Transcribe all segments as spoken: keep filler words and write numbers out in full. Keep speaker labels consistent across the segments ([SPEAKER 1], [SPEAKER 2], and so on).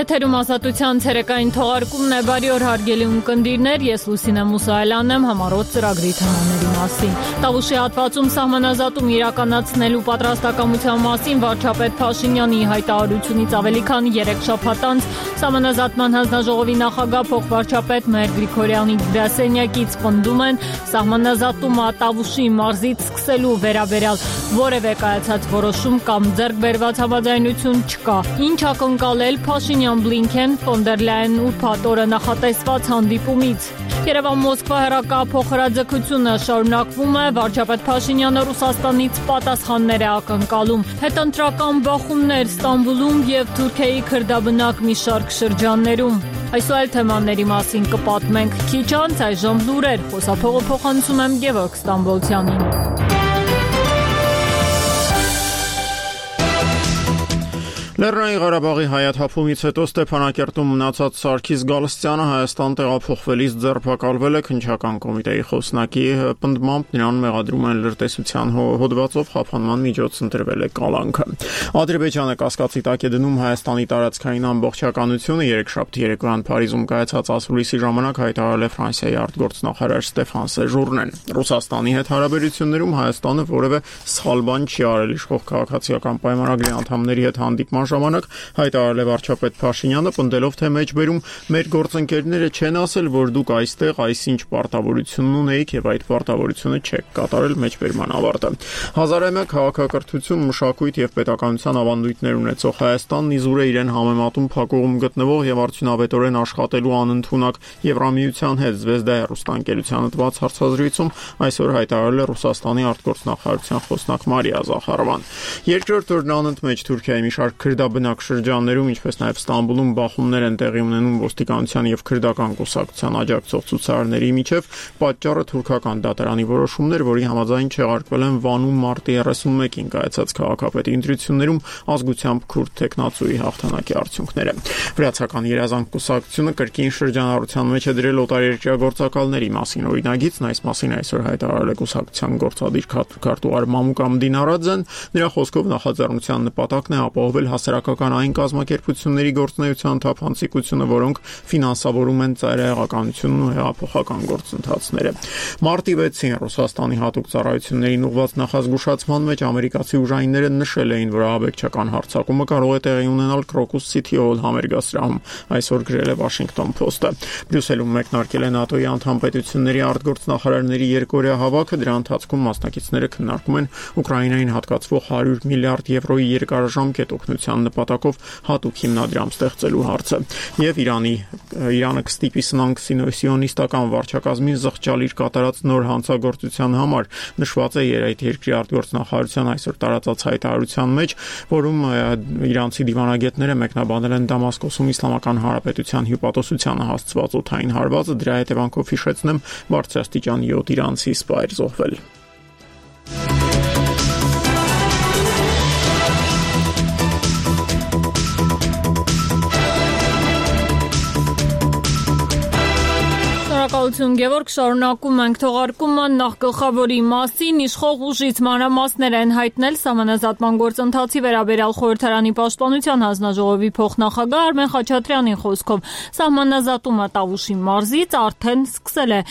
[SPEAKER 1] Եթերում ազատության ցերեկային թողարկումն է, բարի օր հարգելի ունկնդիրներ, ես Լուսինե Մուսայելյանն եմ, համառոտ ծրագրի թեմաների մասին։ Տավուշի հատվածում սահմանազատում իրականացնելու պատրաստակամության մասին վարչապետ Փաշինյանի հայտարարությունից ավելի քան երեք շաբաթ անց սահմանազատման հանձնաժողովի նախագահ փոխվարչապետ Մհեր Գրիգորյանի գրասենյակից պնդում են սահմանազատումը Տավուշի մարզից սկսելու վերաբերյալ որևէ կայացած որոշում կամ ձեռք բերված համաձայնություն չկա։ Ինչ ակնկալել Փաշինյան-Բլինքեն ֆոն դեր Լայեն ուրբաթ օրը նախատեսված հանդիպումից։ Երևան-Մոսկվա հեռակափոխհրաձգությունը շարունակվում է, վարչապետ Փաշինյանը Ռուսաստանից պատասխաններ է ակնկալում։ Հետընտրական բախումներ Ստամբուլում եւ Թուրքիայի քրդաբնակ մի շարք շրջաններում։ Այս ու այլ թեմաների մասին կպատմենք քիչ անց, այժմ լուրեր, խոսափողը փոխանցում եմ Գևորգ Ստամբոլցյանին։
[SPEAKER 2] Լեռնային Ղարաբաղի հայաթափումից հետո Ստեփանակերտում մնացած Սարգիս Գալստյանը Հայաստան տեղափոխվելիս ձերբակալվել է քննչական կոմիտեի խոսնակի պնդմամբ նրան մեղադրում են լրտեսության հոդվածով խափանման միջոց ընտրվել է կալանքը։ Ադրբեջանը կասկածի տակ է դնում Հայաստանի տարածքային ամբողջականությունը երեքշաբթի երեկոյան Փարիզում կայացած ասուլիսի ժամանակ հայտարարել է Ֆրանսիայի արտգործնախարար Ստեփան Սեժուրնեն։ Ռուսաստանի հետ հարաբերություններում Հայաստանը որևէ սխալ բան չի արել իշխող քաղաքացիական պայմանագրի անդամների հետ հանդիպման ժամանակ հայտարարել է վարչապետ Փաշինյանը, պնդելով, թե մեջբերում մեր գործընկերները չեն ասել, որ դուք այստեղ այսինչ պարտավորություն ունեիք եւ այդ պարտավորությունը չեք կատարել մեջբերման ավարտը։ Հազար ու մեկ քաղաքակրթություն, մշակույթ եւ պետականության ավանդույթներ ունեցող Հայաստանն իզուր է իրեն համեմատում փակուղում գտնվող եւ արդյունավետորեն աշխատելու անընդունակ Եվրամիության հետ Զվեզդա հեռուստաընկերությանը տված հարցազրույցում այսօր հայտարարել է Ռուսաստանի արտգործնախարարության խոսնակ Մարիա Զախարովան։ Երկրորդ օրն անընդմեջ Թուրքիայի մի շարք քրդաբնակ շրջաններում, ինչպես նաև Ստամբուլում բախումներ են տեղի ունենում ոստիկանության եւ քրդական կուսակցության աջակցող ցուցարարների միջև, պատճառը թուրքական դատարանի որոշումն էր, որի համաձայն չեղարկվել են Վանում մարտի երեսունմեկին կայացած քաղաքապետի ընտրություններում ազգությամբ քուրդ տեխնացուի հաղթանակի արդյունքները։ Վրացական երազանք կուսակցությունը կրկին շրջանառության մեջ է դրել օտարերկրյա գործակալների մասին օրինագիծն, այս մասին այսօր հայտարարել է կուսակցության գործադիր քարտուղար Մամուկ Ամդին Արաձեն։ Նրա խոսքով նախաձեռնության նպատակն է ապահովել հասարակական այն կազմակերպությունների գործունեության թափանցիկությունը, որոնք ֆինանսավորում են ծայրահեղականությունն ու հեղափոխական գործընթացները։ Մարտի վեցին Ռուսաստանի հատուկ ծառայություններին ուղղված նախազգուշացման մեջ ամերիկացի ուժայինները նշել էին, որ ահաբեկչական հարձակումը կարող է տեղի ունենալ Crocus City Hall համերգասրահում, այսօր գրել է Washington Post-ը։ Բրյուսելում մեկնարկել է ՆԱՏՕ-ի անդամ պետությունների արտգործնախարարների երկօրյա հավաքը, դրա ընթացքում մասնակիցները քննարկում են Ուկրաինային հատկացվող հարյուր միլիարդ եվրոյի երկարաժամկետ օգնության նպատակով հատուկ հիմնադրամ ստեղծելու հարցը եւ Իրանի Իրանը կստիպի սնանկ սիոնիստական վարչակազմին զղջալ իր կատարած նոր հանցագործության համար, նշված է այդ երկրի արտգործնախարարության այսօր տարածած հայտարարության մեջ, որում իրանցի դիվանագետները մեկնաբանել են Դամասկոսում Իսլամական Հանրապետության հյուպատոսությանը հասցված օդային հարվածը, դրա հետևանքով հիշեցնեմ բարձրաստիճան յոթ իրանցի սպայր զոհվել։
[SPEAKER 1] Շնորհակալություն Գևորգ, շարունակում ենք թողարկումը նախ գլխավորի մասին, իշխող ուժից մանրամասներ են հայտնել սահմանազատման գործընթացի վերաբերյալ խորհրդարանի պաշտպանության հանձնաժողովի փոխնախագահ Արմեն Խաչատրյանի խոսքով սահմանազատումը Տավուշի մարզից արդեն սկսել է,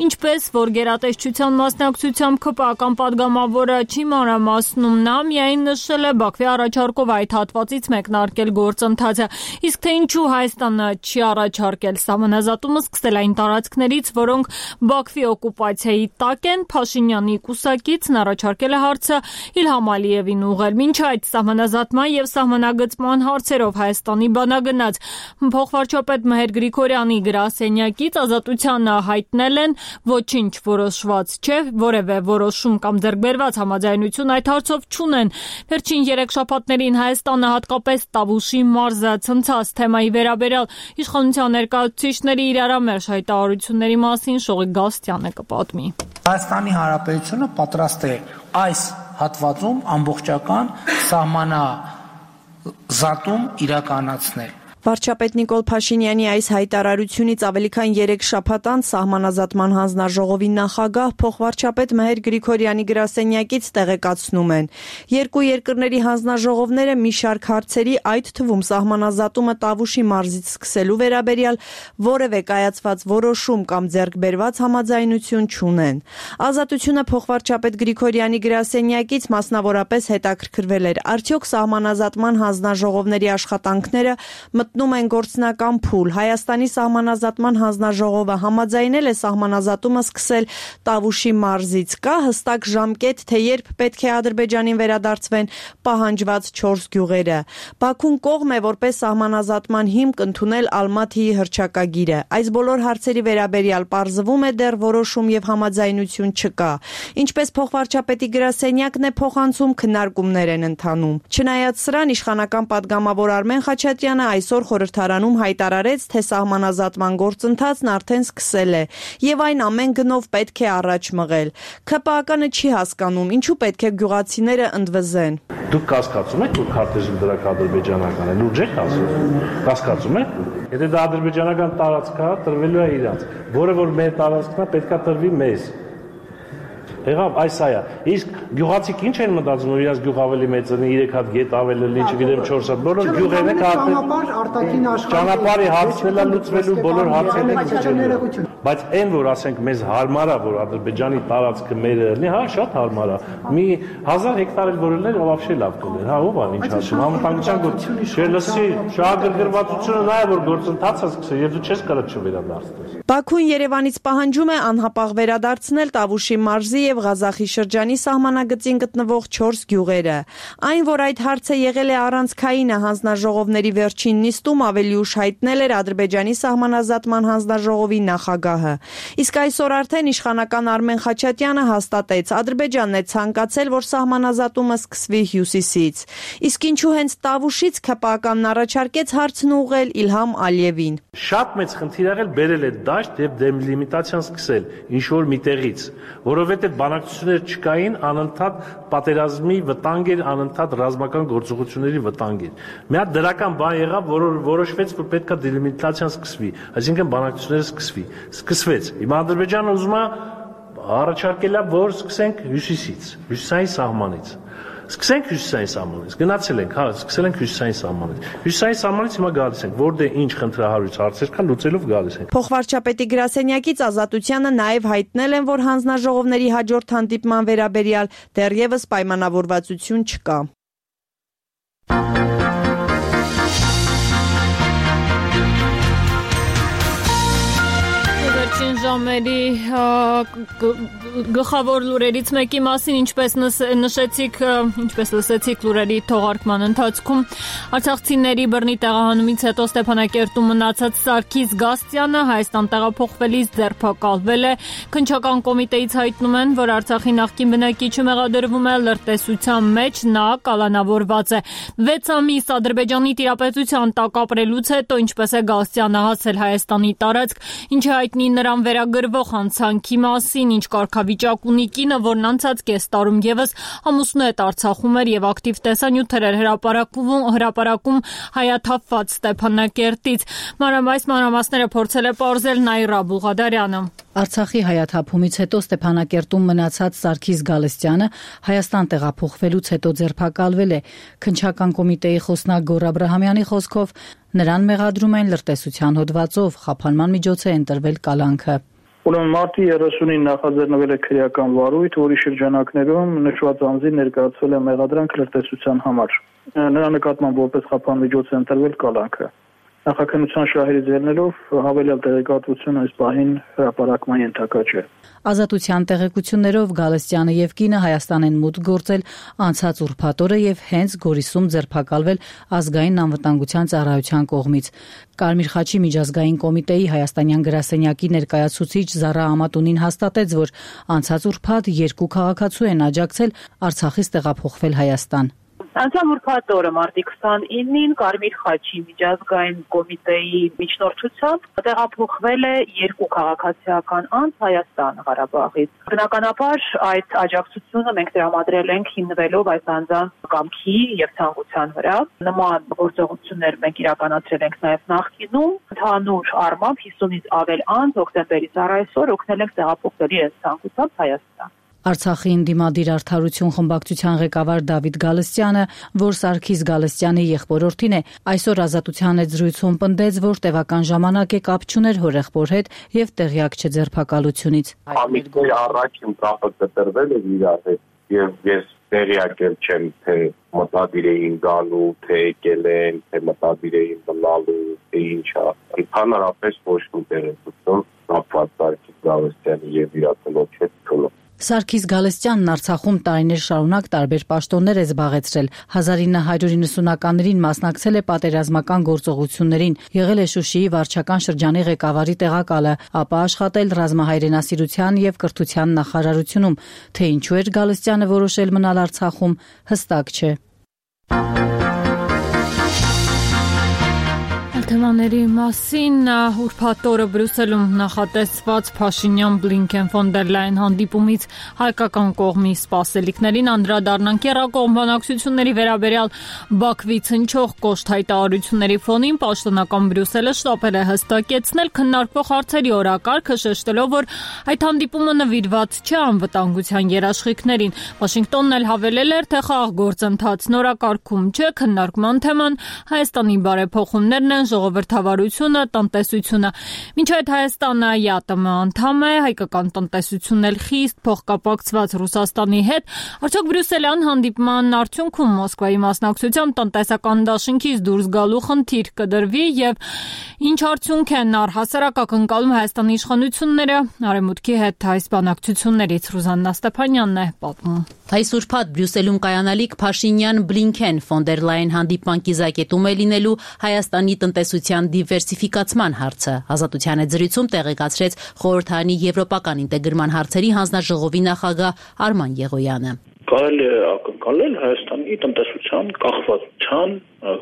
[SPEAKER 1] ինչպես որ գերատեսչության մասնակցությամբ ՔՊԱ-ական падգամավորը չի մանրամասնում, նա միայն նշել է Բաքվի առաջարկով այդ հատվածից մեկնարկել գործընթացը, իսկ թե ինչու Հայաստանը չի առաջարկել սահմանազատումը սկսել այն տարածքներից, որոնք Բաքվի օկուպացիայի տակ են, Փաշինյանի կուսակիցն առաջարկել է հարցը Իլհամ Ալիևին ուղղել։ Մինչ այդ սահմանազատման եւ սահմանագծման հարցերով Հայաստանի բանագնաց փոխվարչապետ Մհեր Գրիգորյանի գրասենյակից ազատությանը հայտնել են ոչինչ որոշված չէ, որևէ որոշում կամ ձեռքբերված համաձայնություն այդ հարցով չունեն։ Վերջին երեք շաբաթներին Հայաստանը հատկապես Տավուշի մարզը ցնցած թեմայի վերաբերյալ իշխանության ներկայացուցիչների իրարամերժ հայտարարությունների մասին Շողիկ Գալստյանը կպատմի։
[SPEAKER 3] Հայաստանի Հանրապետությունը պատրաստ է այս հատվածում ամբողջական սահմանազատում իրականացնել։
[SPEAKER 4] Վարչապետ Նիկոլ Փաշինյանի այս հայտարարությունից ավելի քան երեք շաբաթ անց Սահմանազատման հանձնաժողովի նախագահ փոխվարչապետ Մեհեր Գրիգորյանի գրասենյակից տեղեկացնում են. երկու երկրների հանձնաժողովները մի շարք հարցերի, այդ թվում սահմանազատումը Տավուշի մարզից սկսելու վերաբերյալ որևէ կայացված որոշում կամ ձեռքբերված համաձայնություն չունեն։ Ազատությունը փոխվարչապետ Գրիգորյանի գրասենյակից մասնավորապես հետաքրքրվել էր, արդյոք սահմանազատման հանձնաժողովների աշխատանքները մտնում են գործնական փուլ։ Հայաստանի սահմանազատման հանձնաժողովը համաձայնել է սահմանազատումը սկսել Տավուշի մարզից։ Կա հստակ ժամկետ, թե երբ պետք է Ադրբեջանին վերադարձվեն պահանջված չորս գյուղերը։ Բաքուն կողմ է որպես սահմանազատման հիմք ընդունել Ալմաթիի հռչակագիրը։ Այս բոլոր հարցերի վերաբերյալ պարզվում է դեռ որոշում եւ համաձայնություն չկա։ Ինչպես փոխվարչապետի գրասենյակն է փոխանցում, քննարկումներ են ընթանում։ Չնայած սրան, իշխանական падգամավոր Արմեն Խաչատրյանը այսօր խորհրդարանում հայտարարեց, թե սահմանազատման գործընթացն արդեն սկսել է եւ այն ամեն գնով պետք է առաջ մղել։ ՔՊԱԿ-ը չի հասկանում, ինչու պետք է գյուղացիները ընդվզեն։
[SPEAKER 5] Դուք կասկածում եք, որ քարտեզի դրակ ադրբեջանական է, լուրջ եք ասում։ Կասկածում եք։ Եթե դա ադրբեջանական տարածք է, տրվելու է իրանց, որը որ մեր տարածքն է, պետք է տրվի մեզ։ Եղավ, այս այա։ Իսկ գյուղացիք ինչ են մտածում, որ իրաց գյուղ ավելի մեծ ունի, երեք հատ գետ ավելի լի, չգիտեմ չորս հատ, բոլոր գյուղերն եք
[SPEAKER 6] ճանապարհ արտաքին աշխարհ։
[SPEAKER 5] Ճանապարհի հարցն է լուծվելու, բոլոր հարցերը լուծվելու։ Բայց այն որ ասենք մեզ հարմար է, որ Ադրբեջանի տարածքը մերը լինի, հա, շատ հարմար է։ Մի հազար հեկտար էլ որելներ вообще լավ կլներ, հա, ով է ինչ ասում, համընդհանրության գործ։ Չէ, լսի, շահագրգռվածությունը նա է, որ գործընթացը սկսել, եւ դու չես կարող չվերադարձնել։
[SPEAKER 4] Բաքուն Երևանից պահանջում է անհապաղ վերադարձնել Տավուշի մարզի եւ Ղազախի շրջանի սահմանագծին գտնվող չորս գյուղերը։ Այն, որ այդ հարցը եղել է առանցքայինը հանձնաժողովների վերջին նիստում, ավելի ուշ հայտնել էր Ադրբեջանի սահմանազատման հանձնաժողովի նախագահը։ Իսկ այսօր արդեն իշխանական Արմեն Խաչատրյանը հաստատեց, Ադրբեջանն է ցանկացել, որ սահմանազատումը սկսվի հյուսիսից։ Իսկ ինչու հենց Տավուշից ՔՊԱԿ-ն առաջարկեց հարցն ուղղել Իլհամ Ալիևին։
[SPEAKER 5] Շատ մեծ խնդիր եղել բերել է դաշտ եւ դեմլիմիտացիան սկսել ինչ որ միտեղից, որովհետեւ բանակցություններ չկային, անընդհատ պատերազմի վտանգ էր, անընդհատ ռազմական գործողությունների վտանգ էր։ Մի հատ դրական բան եղավ, որ որոշվեց, որ պետքա դելիմիտացիան սկսվի, այսինքն բանակցությունները սկսվի։ Սկսվեց։ Հիմա Ադրբեջանը ուզում է առաջարկել է, որ սկսենք հյուսիսից, հյուսիսային սահմանից։ Սկսենք հյուսիսային սահմանից, գնացել ենք, հա, սկսել ենք հյուսիսային սահմանից։ Հյուսիսային սահմանից հիմա գալիս ենք, որտեղ ինչ խնդրահարույց հարցեր կան, լուծելով գալիս ենք։
[SPEAKER 4] Փոխվարչապետի գրասենյակից Ազատությանը նաև հայտնել են, որ հանձնաժողովների հաջորդ հանդիպման վերաբերյալ դեռևս պայմանավորվածություն չկա։
[SPEAKER 1] Ժամերի գլխավոր լուրերից մեկի մասին, ինչպես նշեցիք, ինչպես լսեցիք լուրերի թողարկման ընթացքում, արցախցիների բռնի տեղահանումից հետո Ստեփանակերտում մնացած Սարգիս Գաստյանը Հայաստան տեղափոխվելիս ձերբակալվել է։ Քննչական կոմիտեից հայտնում են, որ Արցախի նախկին բնակիչը մեղադրվում է լրտեսության մեջ, նա կալանավորված է։ վեց ամիս Ադրբեջանի տիրապետության տակ ապրելուց հետո, ինչպես է Գաստյանը հասել Հայաստանի տարածք, ինչը հայտնի նրան վերագրվող հանցանքի մասին, ինչ կարգավիճակ ունի կինը, որն անցած կես տարում եւս ամուսնուհետ Արցախում էր եւ ակտիվ տեսանյութեր էր հրապարակում հրապարակում հայաթափված Ստեփանակերտից։ Մանրամասն մանրամասները փորձել է պարզել Նաիրա Բուղադարյանը։
[SPEAKER 7] Արցախի հայաթափումից հետո Ստեփանակերտում մնացած Սարգիս Գալստյանը Հայաստան տեղափոխվելուց հետո ձերբակալվել է։ Քննչական կոմիտեի խոսնակ Գոռ Աբրահամյանի խոսքով նրան մեղադրում են լրտեսության հոդվածով, խափանման միջոց է ընտրվել կալանքը։
[SPEAKER 8] Ուրեմն մարտի երեսունին նախաձեռնվել է քրեական վարույթ, որի շրջանակներում նշված անձին ներկայացվել է մեղադրանք լրտեսության համար։ Նրա նկատմամբ որպես խափան միջոց է ընտրվել կալանքը։ Նախաքննության շահերից ելնելով հավելյալ տեղեկատվություն այս պահին հրապարակման ենթակա չէ։
[SPEAKER 7] Ազատության տեղեկություններով Գալստյանը եւ կինը Հայաստան են մուտք գործել անցած ուրբաթ օրը եւ հենց Գորիսում ձերբակալվել ազգային անվտանգության ծառայության կողմից։ Կարմիր խաչի միջազգային կոմիտեի հայաստանյան գրասենյակի ներկայացուցիչ Զարա Ամատունին հաստատեց, որ անցած ուրբաթ երկու քաղաքացու են աջակցել Արցախից տեղափոխվել Հայաստան։
[SPEAKER 6] Անցյալ ուրբաթ օրը մարտի քսանինին Կարմիր խաչի միջազգային կոմիտեի միջնորդությամբ տեղափոխվել է երկու քաղաքացիական անձ Հայաստան Ղարաբաղից։ Բնականաբար այդ աջակցությունը մենք տրամադրել ենք հիմնվելով այս անձանց կամքի եւ ցանկության վրա։ Նման գործողություններ մենք իրականացրել ենք նաեւ նախկինում։ Ընդհանուր առմամբ հիսունից ավել անձ հոկտեմբերից առ այսօր օգնել ենք տեղափոխվել իրենց ցանկությամբ Հայաստան։
[SPEAKER 7] Արցախի ընդդիմադիր արդարություն խմբակցության ղեկավար Դավիթ Գալստյանը, որ Սարգիս Գալստյանի եղբորորդին է, այսօր Ազատության հետ զրույցում պնդեց, որ տևական ժամանակ է կապ չուներ հորեղբոր հետ եւ տեղյակ չէ ձերբակալությունից։
[SPEAKER 9] Ամիսներ առաջ իմ կապը կտրվել է իրար հետ եւ ես տեղյակ չեմ, թե մտադիր էին գալու, թե եկել են, թե մտադիր էին մնալու, թե ինչա։ Ընդհանրապես ոչ մի տեղեկություն կապված Սարգիս Գալստյանի եւ իր ծնոջ հետ չունի։
[SPEAKER 7] Սարգիս Գալստյանն Արցախում տարիներ շարունակ տարբեր պաշտոններ է զբաղեցրել։ հազար ինը հարյուր իննսունականներին մասնակցել է պատերազմական գործողություններին, եղել է Շուշիի վարչական շրջանի ղեկավարի տեղակալը, ապա աշխատել ռազմահայրենասիրության եւ կրթության նախարարությունում։ Թե ինչու էր Գալստյանը որոշել մնալ Արցախում, հստակ չէ։
[SPEAKER 1] Թեմաների մասին ուրբաթ օրը Բրյուսելում նախատեսված Փաշինյան-Բլինքեն ֆոն դեր Լայն հանդիպումից հայկական կողմի սպասելիքներին անդրադառնանք եռակողմ բանակցությունների վերաբերյալ Բաքվից հնչող կոշտ հայտարարությունների ֆոնին պաշտոնական Բրյուսելը շտապել է հստակեցնել քննարկվող հարցերի օրակարգը, շեշտելով, որ այդ հանդիպումը նվիրված չէ անվտանգության երաշխիքներին։ Վաշինգտոնն էլ հավելել էր, թե խաղաղ գործընթացն օրակարգում չէ, քննարկման թեման Հայաստանի բարեփոխումներն են, ժողովրդավարությունը, տնտեսությունը։ Մինչ այդ Հայաստանը ԵԱՏՄ անդամ է, հայկական տնտեսությունն էլ խիստ փոխկապակցված Ռուսաստանի հետ։ Արդյոք Բրյուսելյան հանդիպման արդյունքում Մոսկվայի մասնակցությամբ տնտեսական դաշինքից դուրս գալու խնդիր կդրվի եւ ինչ արդյունք են առհասարակ ակնկալում Հայաստանի իշխանությունները Արևմուտքի հետ այս բանակցություններից։ Ռուզաննա Ստեփանյանն է պատմում։
[SPEAKER 10] Այս ուրբաթ Բրյուսելում կայանալիք Փաշինյան-Բլինքեն ֆոն դեր Լայն հանդիպման կիզակետում է լինելու Հայաստանի տնտեսության դիվերսիֆիկացման հարցը։ Ազատության հետ զրույցում տեղեկացրեց խորհրդարանի եվրոպական ինտեգրման հարցերի հանձնաժողովի նախագահ Արման Եղոյանը։
[SPEAKER 11] Կարելի է ակնկալել Հայաստանի տնտեսության կախվածության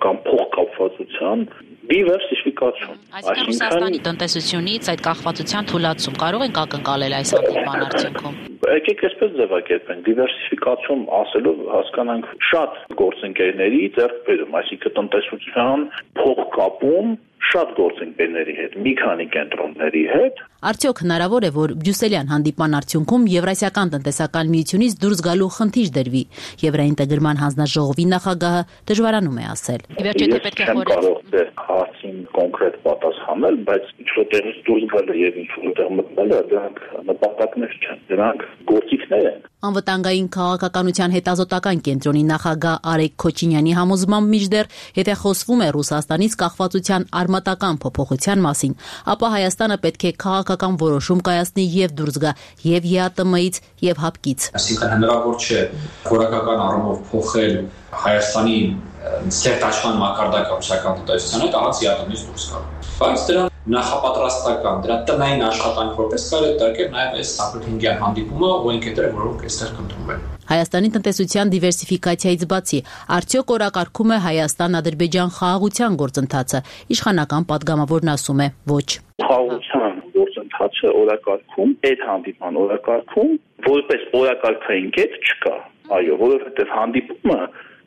[SPEAKER 11] կամ փոխկապվածության դիվերսիֆիկացիոն։
[SPEAKER 10] Այսինքն Ռուսաստանի տնտեսությունից այդ կախվածության թուլացում կարող ենք ակնկալել այս հանդիպման արդյունքում։
[SPEAKER 11] Եկեք այսպես ձևակերպենք, դիվերսիֆիկացիոն ասելով հասկանանք շատ գործընկերների ձեռքբերում, այսինքն տնտեսության փոխկապում շատ գործընկերների հետ, մի քանի կենտրոնների հետ։
[SPEAKER 10] Արդյոք հնարավոր է, որ Բրյուսելյան հանդիպման արդյունքում Եվրասիական տնտեսական միությունից դուրս գալու խնդիր դրվի։ Եվրաինտեգրման հանձնաժողովի նախագահը դժվարանում է ասել։
[SPEAKER 11] Ես չեմ կարող հարցին կոնկրետ պատասխանել, բայց ինչ-որտեղից դուրս գալը եւ ինչ-որտեղ մտնելը դրանք նպատակներ չեն, դրանք գործիքներ են։
[SPEAKER 10] Անվտանգային քաղաքականության հետազոտական կենտրոնի նախագահ Արեգ Քոչինյանի համոզմամբ մինչդեռ, եթե խոսվում է Ռուսաստանից կախվածության արմատական փոփոխության մասին, ապա Հայաստանը պետք է քաղաքական որոշում կայացնի եւ դուրս գա եւ ԵԱՏՄ-ից եւ ՀԱՊԿ-ից։
[SPEAKER 12] Այսինքն հնարավոր չէ որակական առումով փոխել Հայաստանի սերտաշխան մակարդակը ռուսական տնտեսության հետ առանց ԵԱՏՄ-ից դուրս գալու։ Բայց դրա նախապատրաստական, դրա տնային աշխատանք որպես կարելի է դարձնել նաև այս հինգյան հանդիպումը ու ընկերները, որոնք այստեղ կընդունվեն։
[SPEAKER 10] Հայաստանի տնտեսության դիվերսիֆիկացիայից բացի, արդյոք օրակարգում է Հայաստան-Ադրբեջան խաղաղության գործընթացը։ Իշխանական падգամավորն ասում է՝ ոչ։
[SPEAKER 11] Խաղաղության գործընթացը օրակարգում, այդ հանդիպման օրակարգում որպես օրակարգային կետ չկա։ Այո, որովհետև հանդիպումը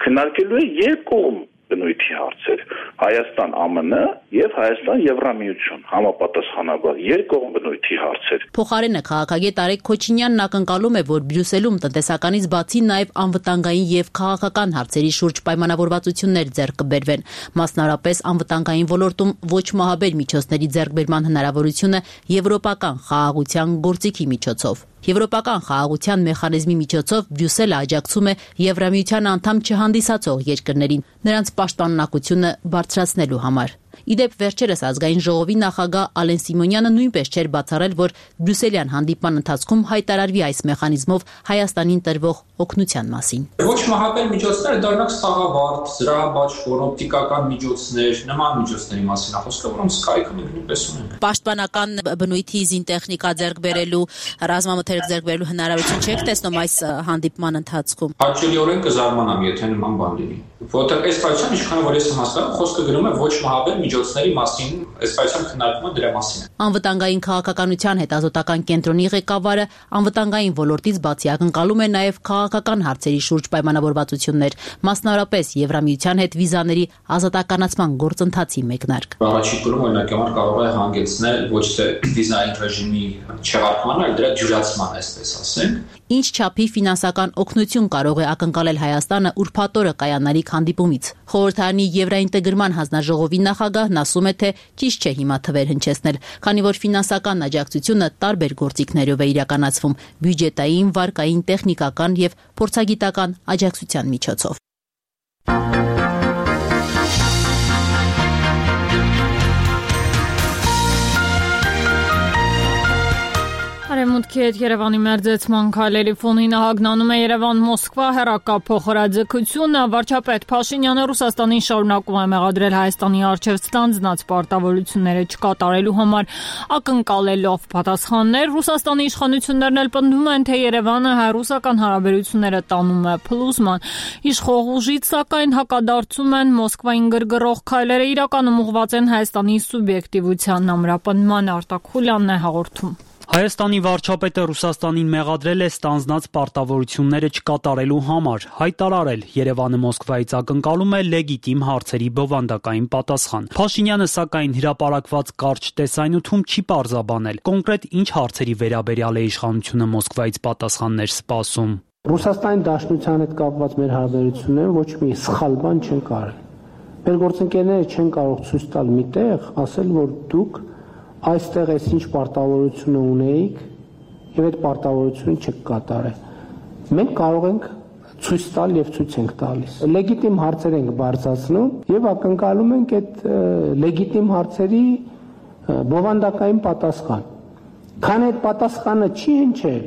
[SPEAKER 11] քննարկելու է երկկողմ բնույթի հարցեր՝ Հայաստան ԱՄՆ եւ Հայաստան Եվրամիություն, համապատասխանաբար երկկողմ բնույթի հարցեր։
[SPEAKER 10] Փոխարենը քաղաքագետ Արեգ Քոչինյանն ակնկալում է, որ Բրյուսելում տնտեսականից բացի նաեւ անվտանգային եւ քաղաքական հարցերի շուրջ պայմանավորվածություններ ձեռք կբերվեն, մասնարարպես անվտանգային ոլորտում ոչ մահաբեր միջոցների ձեռքբերման հնարավորությունը եվրոպական խաղաղության գործիքի միջոցով։ Եվրոպական խաղաղության մեխանիզմի միջոցով Բրյուսելը աջակցում է Եվրամիության անդամ չհանդիսացող երկրներին նրանց պաշտպանունակությունը բարձրացնելու համար։ Իդեպ վերջերս ազգային ժողովի նախագահ Ալեն Սիմոնյանը նույնպես չէր բացառել, որ բրյուսելյան հանդիպման ընթացքում հայտարարվի այս մեխանիզմով Հայաստանին տրվող օգնության մասին։
[SPEAKER 12] Ոչ մահապել միջոցները դառնակ սաղավարտ, զրահաբաշխոր, օպտիկական միջոցներ, նման միջոցների մասին է խոսքը, որոնց կայքը մենք նույնպես ունենք։
[SPEAKER 10] Պաշտպանական բնույթի զինտեխնիկա ձեռք բերելու, ռազմամթերք ձեռք բերելու հնարավորություն չեք տեսնում այս հանդիպման ընթացքում։
[SPEAKER 12] Հաճելիորեն կզարմանամ, եթե նման բան լինի։ Որտեղ այս պայության ինչքան որ ես հասկանում, խոսքը գրում է ոչ մահաբեր միջոցների մասին, այս պայության քննարկումը դրա մասին է։
[SPEAKER 10] Անվտանգային քաղաքականության հետազոտական կենտրոնի ղեկավարը անվտանգային ոլորտից բացի ակնկալում է նաև քաղաքական հարցերի շուրջ պայմանավորվածություններ, մասնավորապես Եվրամիության հետ վիզաների ազատականացման գործընթացի մեկնարկ։
[SPEAKER 12] Առաջին փուլում օրինակ համար կարող է հանգեցնել ոչ թե վիզային ռեժիմի չեղարկման, այլ դրա դյուրացման, այսպես ասենք։
[SPEAKER 10] Ինչ չափի ֆինանսական օգնություն կարող է ակնկալել Հայաստանը ուրբաթ օրը կայանալիք հանդիպումից։ Խորհրդարանի Եվրաինտեգրման հանձնաժողովի նախագահն ասում է, թե ճիշտ չէ հիմա թվեր հնչեցնել, քանի որ ֆինանսական աջակցությունը տարբեր գործիքներով է իրականացվում՝ բյուջետային, վարկային, տեխնիկական եւ փորձագիտական աջակցության միջոցով։
[SPEAKER 1] Արևմուտքի հետ Երևանի մերձեցման քայլերի ֆոնին հագնանում է Երևան-Մոսկվա հեռակապ փոխհրաձգությունը։ Վարչապետ Փաշինյանը Ռուսաստանին շարունակում է մեղադրել Հայաստանի առջև ստանձնած պարտավորությունները չկատարելու համար, ակնկալելով պատասխաններ։ Ռուսաստանի իշխանություններն էլ պնդում են, թե Երևանը հայ-ռուսական հարաբերությունները տանում է փլուզման։ Իշխող ուժից սակայն հակադարձում են Մոսկվային գրգռող քայլերը իրականում ուղղված են Հայաստանի սուբյեկտիվության ամրապնդման։ Արտակ Խուլյանն է հաղորդում։
[SPEAKER 13] Հայաստանի վարչապետը Ռուսաստանին մեղադրել է ստանձնած պարտավորությունները չկատարելու համար, հայտարարել Երևանը Մոսկվայից ակնկալում է լեգիտիմ հարցերի բովանդակային պատասխան։ Փաշինյանը սակայն հրապարակված կարճ տեսայնութում չի պարզաբանել կոնկրետ ինչ հարցերի վերաբերյալ է իշխանությունը Մոսկվայից պատասխաններ սպասում։
[SPEAKER 14] Ռուսաստանի Դաշնության հետ կապված մեր հարաբերությունները ոչ մի սխալ բան չեն կարել։ Մեր գործընկերները չեն կարող ցույց տալ միտեղ, ասել, որ դուք այստեղ էս ինչ պարտավորությունը ունեիք եւ այդ պարտավորությունը չկատարել։ Մենք կարող ենք ցույց տալ եւ ցույց ենք տալիս։ Լեգիտիմ հարցեր ենք բարձրացնում եւ ակնկալում ենք այդ լեգիտիմ հարցերի բովանդակային պատասխան։ Քան այդ պատասխանը չի հնչել,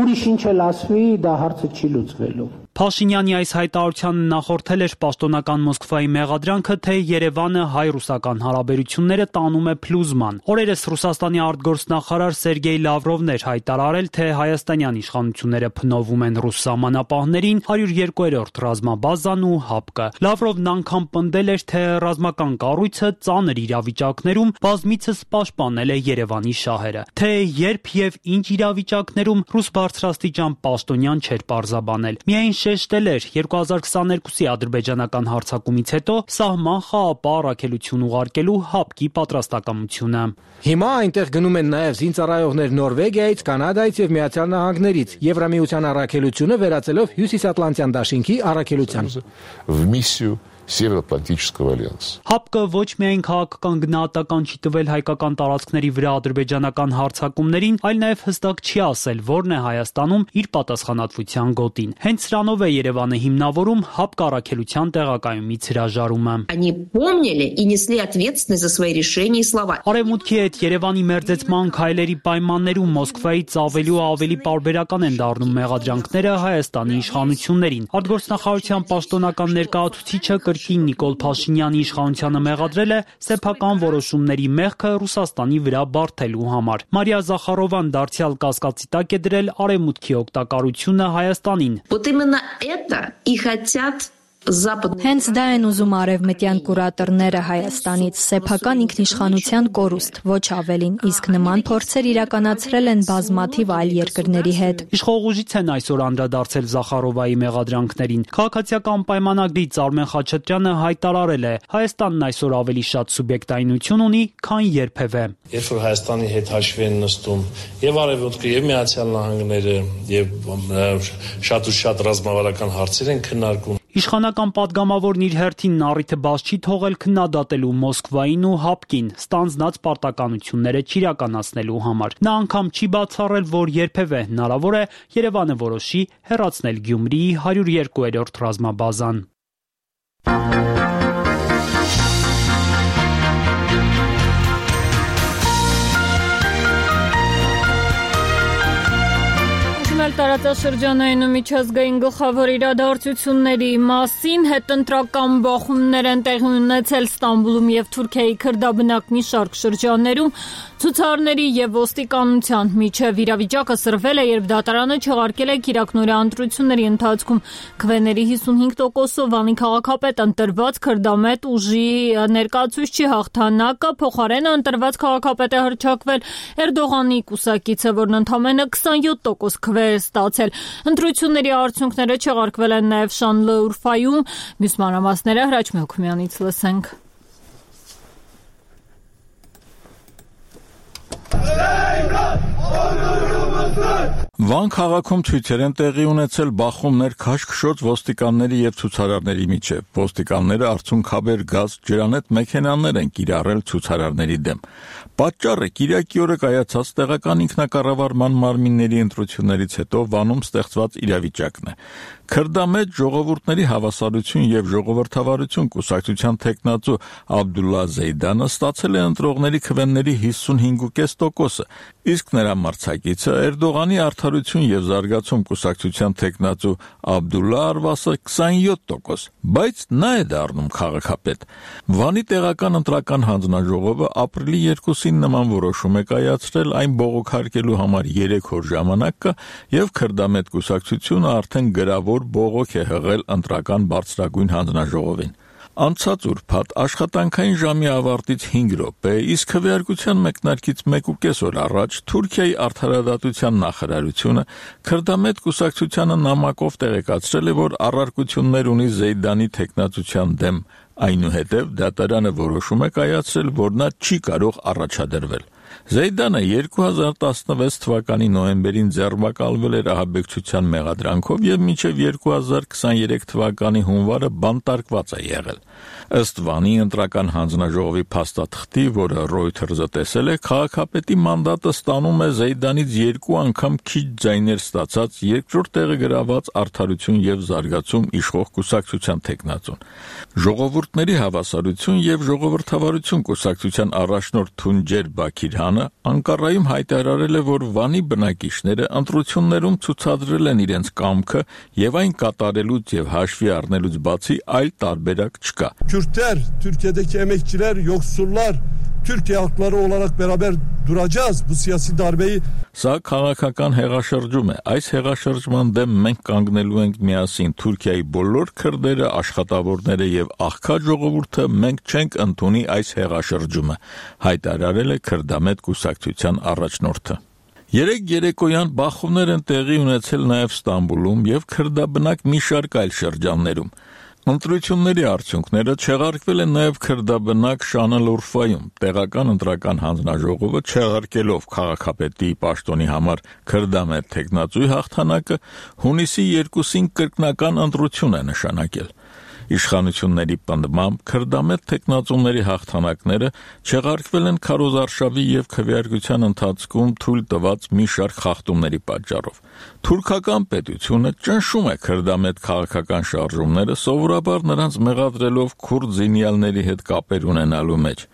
[SPEAKER 14] ուրիշ ինչ էլ ասվի, դա հարցը չի լուծվելու։
[SPEAKER 13] Փաշինյանի այս հայտարարությանը նախորդել էր պաշտոնական Մոսկվայի մեղադրանքը, թե Երևանը հայ-ռուսական հարաբերությունները տանում է փլուզման։ Օրերս Ռուսաստանի արտգործնախարար Սերգեյ Լավրովն էր հայտարարել, թե հայաստանյան իշխանությունները փնովում են ռուս սահմանապահներին, հարյուր երկու-րդ ռազմաբազան ու հապկը։ Լավրովն անգամ պնդել էր, թե ռազմական կառույցը ծանր իրավիճակներում բազմիցս պաշտպանել է Երևանի շահերը։ Թե երբ եւ ինչ իրավիճակներում ռուս բարձրաստիճան պաշտոնյան չէր պարզաբանել։ Միայն շեշտել էր երկու հազար քսաներկուսի ադրբեջանական հարձակումից հետո սահման խաղապահ առաքելություն ուղարկելու հապկի պատրաստակամությունը։
[SPEAKER 15] Հիմա այնտեղ գնում են նաև զինծառայողներ Նորվեգիայից, Կանադայից եւ Միացյալ Նահանգներից, Եվրամիության առաքելությունը վերածելով Հյուսիսատլանտյան դաշինքի առաքելության։
[SPEAKER 16] Սևեռատլանտического альянса։
[SPEAKER 13] Հապկը ոչ միայն քաղաքական գնահատական չի տվել հայկական տարածքների վրա ադրբեջանական հարձակումներին, այլ նաև հստակ չի ասել, որն է Հայաստանում իր պատասխանատվության գոտին։ Հենց սրանով է Երևանը հիմնավորում հապկ առաքելության տեղակայումից հրաժարումը։
[SPEAKER 17] Они помнили и несли ответственность за свои решения и слова։
[SPEAKER 13] Արևմուտքի հետ Երևանի մերձեցման քայլերի պայմաններում Մոսկվայից ավելի ու ավելի պարբերական են դառնում մեղադրանքները Հայաստանի իշխանություններին։ Արտգործնախարարության պաշտոնական ներկայացուցիչը կրկին Նիկոլ Փաշինյանի իշխանությանը մեղադրել է սեփական որոշումների մեղքը Ռուսաստանի վրա բարթելու համար։ Մարիա Զախարովան դարձյալ կասկածի տակ է դրել արևմուտքի օգտակարությունը Հայաստանին։
[SPEAKER 17] Вот именно это и хотят
[SPEAKER 18] Հենց դա են ուզում արևմտյան կուրատորները Հայաստանից, սեփական ինքնիշխանության կորուստ, ոչ ավելին, իսկ նման փորձեր իրականացրել են բազմաթիվ այլ երկրների հետ։
[SPEAKER 13] Իշխող ուժից են այսօր անդրադարձել Զախարովայի մեղադրանքներին։ Քաղաքացիական պայմանագրից Արմեն Խաչատրյանը հայտարարել է, Հայաստանն այսօր ավելի շատ սուբյեկտայնություն ունի, քան երբևէ։
[SPEAKER 19] Երբ որ Հայաստանի հետ հաշվի են նստում եւ Արևմուտքը եւ Միացյալ Նահանգները եւ շատ ու շատ ռազմավարական հարցեր են քննարկում։
[SPEAKER 13] Իշխանական падգամավորն իր հերթին առիթը բաց չի թողել քննադատելու Մոսկվային ու հապկին ստանձնած պարտականությունները չիրականացնելու համար։ Նա անգամ չի բացառել, որ երբևէ հնարավոր է Երևանը որոշի հեռացնել Գյումրիի հարյուր երկու-րդ ռազմաբազան։
[SPEAKER 1] խոսում էլ տարածաշրջանային ու միջազգային գլխավոր իրադարձությունների մասին, հետընտրական բախումներ են տեղի ունեցել Ստամբուլում եւ Թուրքիայի քրդաբնակ մի շարք շրջաններում, ցուցարների եւ ոստիկանության միջև իրավիճակը սրվել է, երբ դատարանը չեղարկել է քիրակնորյա ընտրությունների ընթացքում քվեների հիսունհինգ տոկոսով Վանի քաղաքապետ ընտրված քրդամետ ուժի ներկայացուցչի հաղթանակը, փոխարենը ընտրված քաղաքապետ է հռչակվել Էրդողանի կուսակիցը, որն ընդամենը քսանյոթ տոկոս քվե է ստացել։ Ընտրությունների արդյունքները չեղարկվել են նաեւ Շանլըուրֆայում, մյուս մանրամասները Հրաչ Մելքումյանից լսենք։
[SPEAKER 20] Վան քաղաքում ցույցեր են տեղի ունեցել բախումներ քաշքշոց ոստիկանների եւ ցուցարարների միջև։ Ոստիկանները արցունքաբեր գազ ջրանետ մեքենաներ են կիրառել ցուցարարների դեմ։ Պատճառը Կիրակի օրը կայացած տեղական ինքնակառավարման մարմինների ընտրություններից հետո Վանում ստեղծված իրավիճակն է։ Քրդամետ ժողովուրդների հավասարություն եւ ժողովրդավարություն կուսակցության տեխնացու Աբդուլլա Զեյդանը ստացել է ընտրողների քվեների հիսունհինգ կόμμα պենս տոկոսը, իսկ նրա մրցակիցը Էրդողանի արդարություն եւ զարգացում կուսակցության տեխնացու Աբդուլլա Արվասը քսանյոթ տոկոս, բայց նա է դառնում քաղաքապետ։ Վանի տեղական ընտրական հանձնաժողովը ապրիլի երկուսին նման որոշում է կայացրել, այն բողոքարկելու համար երեք օր ժամանակ կա եւ քրդամետ կուսակցությունը արդեն գրավոր բողոք է հղել ընտրական բարձրագույն հանձնաժողովին։ Անցած ուրբաթ աշխատանքային ժամի ավարտից հինգ րոպե, իսկ քվեարկության մեկնարկից մեկ ու կես օր առաջ Թուրքիայի արդարադատության նախարարությունը քրդամետ կուսակցությանը նամակով տեղեկացրել է, որ առարկություններ ունի Զեյդանի տեխնացության դեմ, այնուհետև դատարանը որոշում է կայացրել, որ նա չի կարող առաջադրվել։ Զեյդանը երկու հազար տասնվեց թվականի նոյեմբերին ձերբակալվել էր ահաբեկչության մեղադրանքով եւ մինչեւ երկու հազար քսաներեք թվականի հունվարը բանտարկված է եղել։ Ըստ Վանի ընտրական հանձնաժողովի փաստաթղթի, որը Reuters-ը տեսել է, քաղաքապետի մանդատը ստանում է Զեյդանից երկու անգամ քիչ ձայներ ստացած երկրորդ տեղը գրաված արդարություն եւ զարգացում իշխող կուսակցության տեխնացուն։ Ժողովուրդների հավասարություն եւ ժողովրդավարություն կուսակցության առաջնորդ Թունջեր Բաքիրհանը Անկարայում հայտարարել է, որ Վանի բնակիչները ընտրություններում ցուցադրել են իրենց կամքը եւ այն կատարելուց եւ հաշվի առնելուց բացի այլ տարբերակ չկա։
[SPEAKER 21] Kürtler, Türkiye'deki emekçiler, yoksullar, Türkiye halkları olarak beraber duracağız bu siyasi darbeyi.
[SPEAKER 20] Սա քաղաքական հեղաշրջում է։ Այս հեղաշրջման դեմ մենք կանգնելու ենք միասին Թուրքիայի բոլոր քրդերը, աշխատավորները եւ աղքատ ժողովուրդը, մենք չենք ընդունի այս հեղաշրջումը, հայտարարել է քրդամետ կուսակցության առաջնորդը։ Երեք երեկոյան բախումներ են տեղի ունեցել նաեւ Ստամբուլում եւ քրդաբնակ մի շարք այլ շրջաններում։ Ընտրությունների արդյունքները չեղարկվել են նաև քրդաբնակ Շանլըուրֆայում։ Տեղական ընտրական հանձնաժողովը չեղարկելով քաղաքապետի պաշտոնի համար քրդամետ տեխնացուի հաղթանակը հունիսի երկուսին կրկնական ընտրություն է նշանակել։ Իշխանությունների պնդմամբ քրդամետ տեխնացուների հաղթանակները չեղարկվել են քարոզարշավի եւ քվեարկության ընթացքում թույլ տված մի շարք խախտումների պատճառով։ Թուրքական պետությունը ճնշում է քրդամետ քաղաքական շարժումները, սովորաբար նրանց մեղադրելով քուրդ զինյալների հետ կապեր ունենալու մեջ։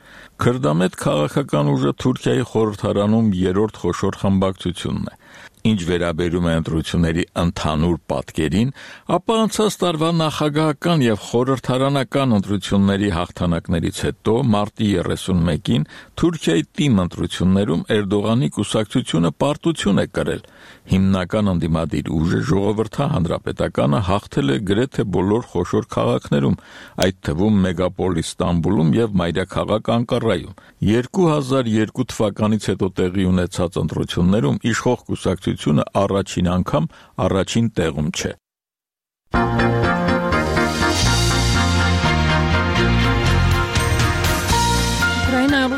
[SPEAKER 20] Քրդամետ քաղաքական ուժը Թուրքիայի խորհրդարանում երրորդ խոշոր խմբակցությունն է։ Ինչ վերաբերում է ընտրությունների ընդհանուր պատկերին, ապա անցած տարվա նախագահական եւ խորհրդարանական ընտրությունների հաղթանակներից հետո մարտի երեսունմեկին Թուրքիայի թիմ ընտրություններում Էրդողանի կուսակցությունը պարտություն է կրել։ Հիմնական ընդդիմադիր ուժը ժողովրդի հանրապետականը հաղթել է գրեթե բոլոր խոշոր քաղաքներում, այդ թվում մեգապոլիս Ստամբուլում եւ մայրաքաղաք Անկարայում։ երկու հազար երկու թվականից հետո տեղի ունեցած ընտրություններում իշխող կուսակցությունը առաջին անգամ առաջին տեղում չէ։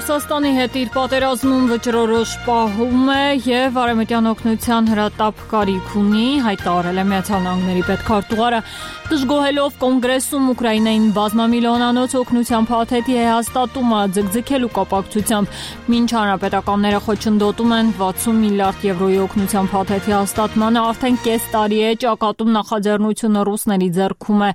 [SPEAKER 1] Ռուսաստանի հետ իր պատերազմում վճռորոշ պահում է եւ արևմտյան օգնության հրատապ կարիք ունի, հայտարարել է Միացյալ Նահանգների պետքարտուղարը, դժգոհելով կոնգրեսում Ուկրաինային բազմամիլիոնանոց օգնության փաթեթի հաստատումը ձգձգելու կապակցությամբ, մինչ հանրապետականները խոչընդոտում են վաթսուն միլիարդ եվրոյի օգնության փաթեթի հաստատմանը, արդեն կես տարի է ճակատում նախաձեռնությունը ռուսների ձեռքում է։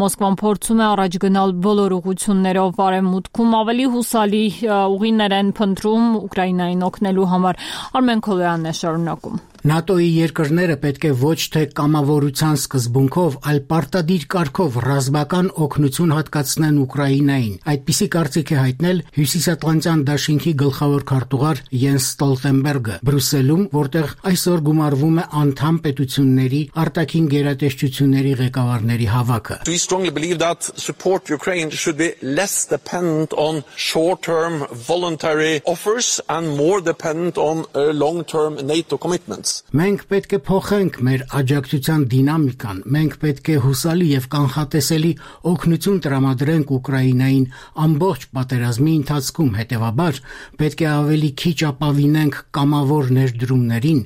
[SPEAKER 1] Մոսկվան փորձում է առաջ գնալ բոլոր ուղղություններով, արևմուտքում ավելի հուսալի ուղիներ են փնտրում Ուկրաինային օգնելու համար։ Արմեն Քոլոյանն է շարունակում։
[SPEAKER 2] ՆԱՏՕ-ի երկրները պետք է ոչ թե կամավորության սկզբունքով, այլ պարտադիր կարգով ռազմական օգնություն հատկացնեն Ուկրաինային։ Այդպիսի կարծիք է հայտնել Հյուսիսատլանտյան դաշինքի գլխավոր քարտուղար Յենս Ստոլտենբերգը Բրյուսելում, որտեղ այսօր գումարվում է անդամ պետությունների արտաքին գերատեսչությունների ղեկավարների հավաքը։
[SPEAKER 22] We strongly believe that support Ukraine should be less dependent on short-term voluntary offers and more dependent on uh, long-term NATO commitments.
[SPEAKER 2] Մենք պետք է փոխենք մեր աջակցության դինամիկան, մենք պետք է հուսալի եւ կանխատեսելի օգնություն տրամադրենք Ուկրաինային ամբողջ պատերազմի ընթացքում, հետեւաբար պետք է ավելի քիչ ապավինենք կամավոր ներդրումներին,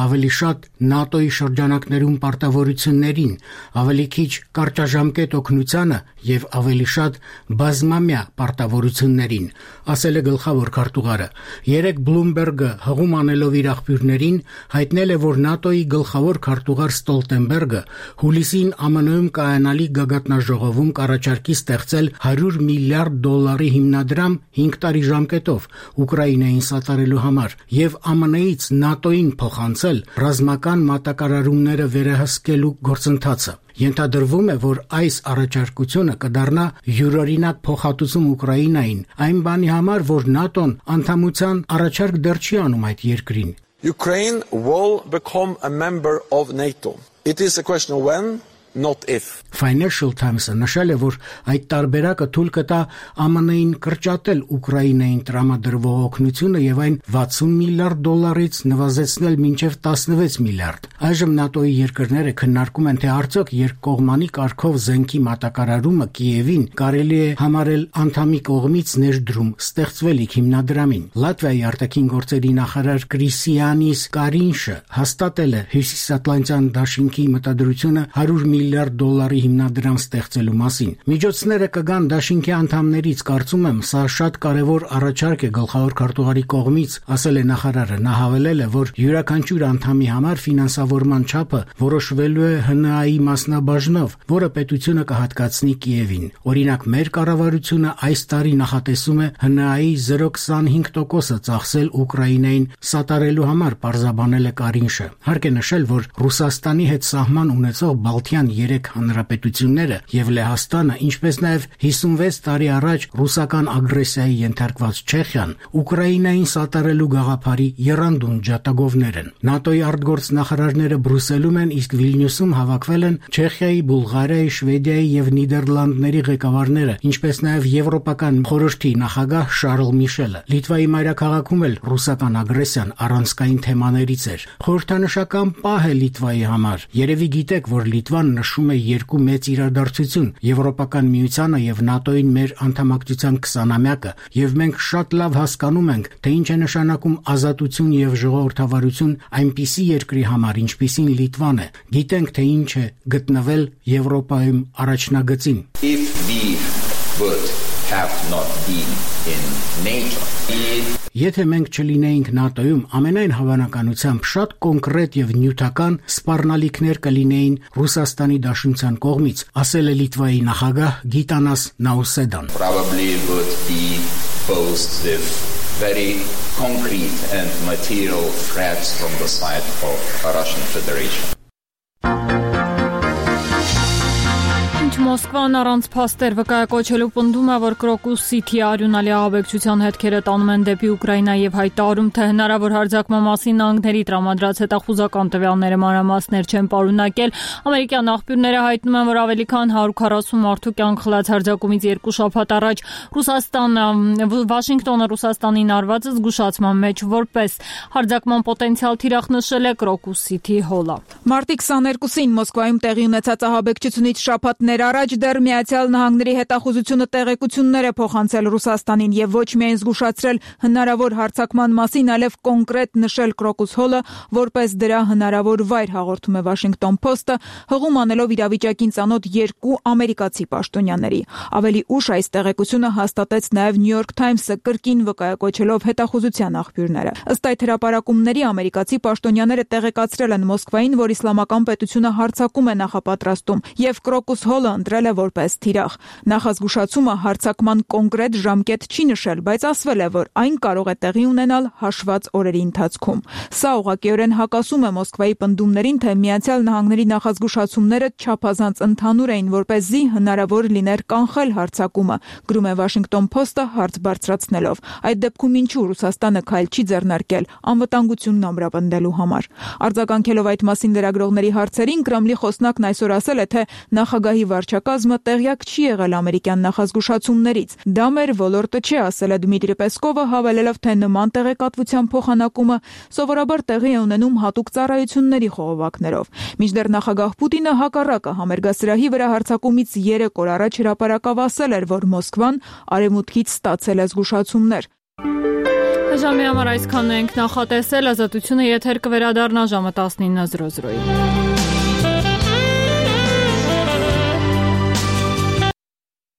[SPEAKER 2] ավելի շատ ՆԱՏՕ-ի շրջանակներում պարտավորություններին, ավելի քիչ կարճաժամկետ օգնությանը եւ ավելի շատ բազմամյա պարտավորություններին, ասել է գլխավոր քարտուղարը։ Երեք Bloomberg-ը հղում անելով իր աղբյուրներին հայտնել է, որ ՆԱՏՕ-ի գլխավոր քարտուղար Ստոլտենբերգը հուլիսին ԱՄՆ-ում կայանալի գագաթնաժողովում կառաջարկի ստեղծել հարյուր միլիարդ դոլարի հիմնադրամ հինգ տարի ժամկետով Ուկրաինային սատարելու համար եւ ԱՄՆ-ից ՆԱՏՕ-ին փոխանցել ռազմական մատակարարումները վերահսկելու գործընթացը։ Ենթադրվում է, որ այս առաջարկությունը կդառնա յուրօրինակ փոխհատուցում Ուկրաինային, այն բանի համար, որ ՆԱՏՕ-ն անդամության առաջարկ դեռ չի անում այդ երկրին։
[SPEAKER 22] Ukraine will become a member of NATO. It is a question of when, not if.
[SPEAKER 2] Financial Times-ը նշել է, որ այդ տարբերակը թույլ կտա ԱՄՆ-ին կրճատել Ուկրաինային տրամադրվող օգնությունը եւ այն վաթսուն միլիարդ դոլարից նվազեցնել մինչեւ տասնվեց միլիարդ։ Այժմ ՆԱՏՕ-ի երկրները քննարկում են, թե արդյոք երկկողմանի կարգով զենքի մատակարարումը Կիևին կարելի է համարել անդամի կողմից ներդրում ստեղծվելիք հիմնադրամին։ Լատվիայի արտաքին գործերի նախարար Կրիսիանիս Կարինշը հաստատել է Հյուսիսատլանտյան դաշինքի մտադրությունը հարյուր միլիարդ դոլարի հիմնադրամ ստեղծելու մասին։ Միջոցները կգան դաշինքի անդամներից, կարծում եմ, սա շատ կարևոր առաջարկ է գլխավոր քարտուղարի կողմից, ասել է նախարարը։ Նա հավելել է, որ յուրաքանչյուր անդամի համար ֆինանսավորման չափը որոշվելու է ՀՆԱ-ի մասնաբաժնով, որը պետությունը կհատկացնի Կիևին։ Օրինակ, մեր կառավարությունը այս տարի նախատեսում է ՀՆԱ-ի զրո փոխ քսանհինգ տոկոսը ծախսել Ուկրաինային սատարելու համար, պարզաբանել է Կարինշը։ Հարկ է նշել, որ Ռուսաստանի հետ սահման ունեցող Բալթյան երեք հանրապետությունները եւ Լեհաստանը, ինչպես նաեւ հիսունվեց տարի առաջ ռուսական ագրեսիայի ենթարկված Չեխիան, Ուկրաինային սատարելու գաղափարի եռանդուն ջատագովներ են։ ՆԱՏՕ-ի արտգործնախարարները Բրյուսելում են, իսկ Վիլնյուսում հավաքվել են Չեխիայի, Բուլղարիայի, Շվեդիայի եւ Նիդերլանդների ղեկավարները, ինչպես նաեւ Եվրոպական խորհրդի նախագահ Շարլ Միշելը։ Լիտվայի մայրաքաղաքում էլ ռուսական ագրեսիան առանցքային թեմաներից էր։ Խորհրդանշական պահ է Լիտվայի համար։ Երևի գիտեք, որ Լիտվան նշում է երկու մեծ իրադարձություն՝ Եվրոպական միությանը եւ ՆԱՏՕ-ին մեր անդամակցության քսանամյակը, եւ մենք շատ լավ հասկանում ենք, թե ինչ է նշանակում ազատություն եւ ժողովրդավարություն այնպիսի երկրի համար, ինչպիսին Լիտվան է։ Գիտենք, թե ինչ է գտնվել Եվրոպայում առաջնագծին։
[SPEAKER 23] If we would have not been in NATO,
[SPEAKER 2] Եթե մենք չլինեինք ՆԱՏՕ-ում, ամենայն հավանականությամբ շատ կոնկրետ եւ նյութական սպառնալիքներ կլինեին Ռուսաստանի Դաշնության կողմից, ասել է Լիտվայի նախագահ Գիտանաս Նաուսեդան։
[SPEAKER 23] Probably would be posed with very concrete and material threats from the side of the Russian Federation.
[SPEAKER 1] Մոսկվան առանց փաստեր վկայակոչելու պնդում է, որ Crocus City արյունալի ահաբեկչության հետքերը տանում են դեպի Ուկրաինա եւ հայտարարում, թե հնարավոր հարձակման մասին նահանգների տրամադրած հետախուզական տվյալները մանրամասներ չեն պարունակել։ Ամերիկյան աղբյուրները հայտնում են, որ ավելի քան հարյուր քառասուն մարդու կյանք խլած հարձակումից երկու շաբաթ առաջ Ռուսաստանը, Վաշինգտոնը Ռուսաստանին արված զգուշացման մեջ որպես հարձակման պոտենցիալ թիրախ նշել է Crocus City Hall-ը։
[SPEAKER 24] Մարտի քսաներկուսին Մոսկվայում տեղի ունեցած ահաբեկչությունից շաբաթներ առաջ դեռ Միացյալ Նահանգների հետախուզությունը տեղեկություններ է փոխանցել Ռուսաստանին եւ ոչ միայն զգուշացրել հնարավոր հարձակման մասին, այլև կոնկրետ նշել Crocus Hall-ը որպես դրա հնարավոր վայր, հաղորդում է Washington Post-ը, հղում անելով իրավիճակին ծանոթ երկու ամերիկացի պաշտոնյաների։ Ավելի ուշ այս տեղեկությունը հաստատեց նաեւ New York Times-ը կրկին վկայակոչելով հետախուզության աղբյուրները։ Ըստ այդ հրապարակումների ամերիկացի պաշտոնյաները տեղեկացրել են Մոսկվային, որ իսլամական պետությունը հարձակում է նախապատրաստում եւ Crocus Hall-ը ընտրել է որպես թիրախ։ Նախազգուշացումը հարձակման կոնկրետ ժամկետ չի նշել, բայց ասվել է, որ այն կարող է տեղի ունենալ հաշված օրերի ընթացքում։ Սա ուղղակիորեն հակասում է Մոսկվայի պնդումներին, թե Միացյալ Նահանգների նախազգուշացումները չափազանց ընդհանուր էին, որպեսզի հնարավոր լիներ կանխել հարձակումը, գրում է Washington Post-ը հարց բարձրացնելով։ Այդ դեպքում ինչու Ռուսաստանը քայլ չի ձեռնարկել անվտանգությունն ամրապնդելու համար։ Արձագանքելով այդ մասին լրագրողների հարցերին, Կրեմլի խոսնակն այսօր ասել է, թե նախագահի վարչակազմը տեղյակ չի եղել ամերիկյան նախազգուշացումներից։ Դա մեր ոլորտը չէ, ասել է Դմիտրի Պեսկովը, հավելելով, թե նման տեղեկատվության փոխանակումը սովորաբար տեղի է ունենում հատուկ ծառայությունների խողովակներով։ Մինչդեռ նախագահ Պուտինը հակառակը համերգասրահի վրա հարձակումից երեք օր առաջ հրապարակավ ասել էր, որ Մոսկվան արևմուտքից ստացել է զգուշացումներ։
[SPEAKER 1] Ժամի համար այսքանն ենք նախատեսել, ազատությունը եթեր կվերադառնա ժամը տասնինը զրո զրոյի։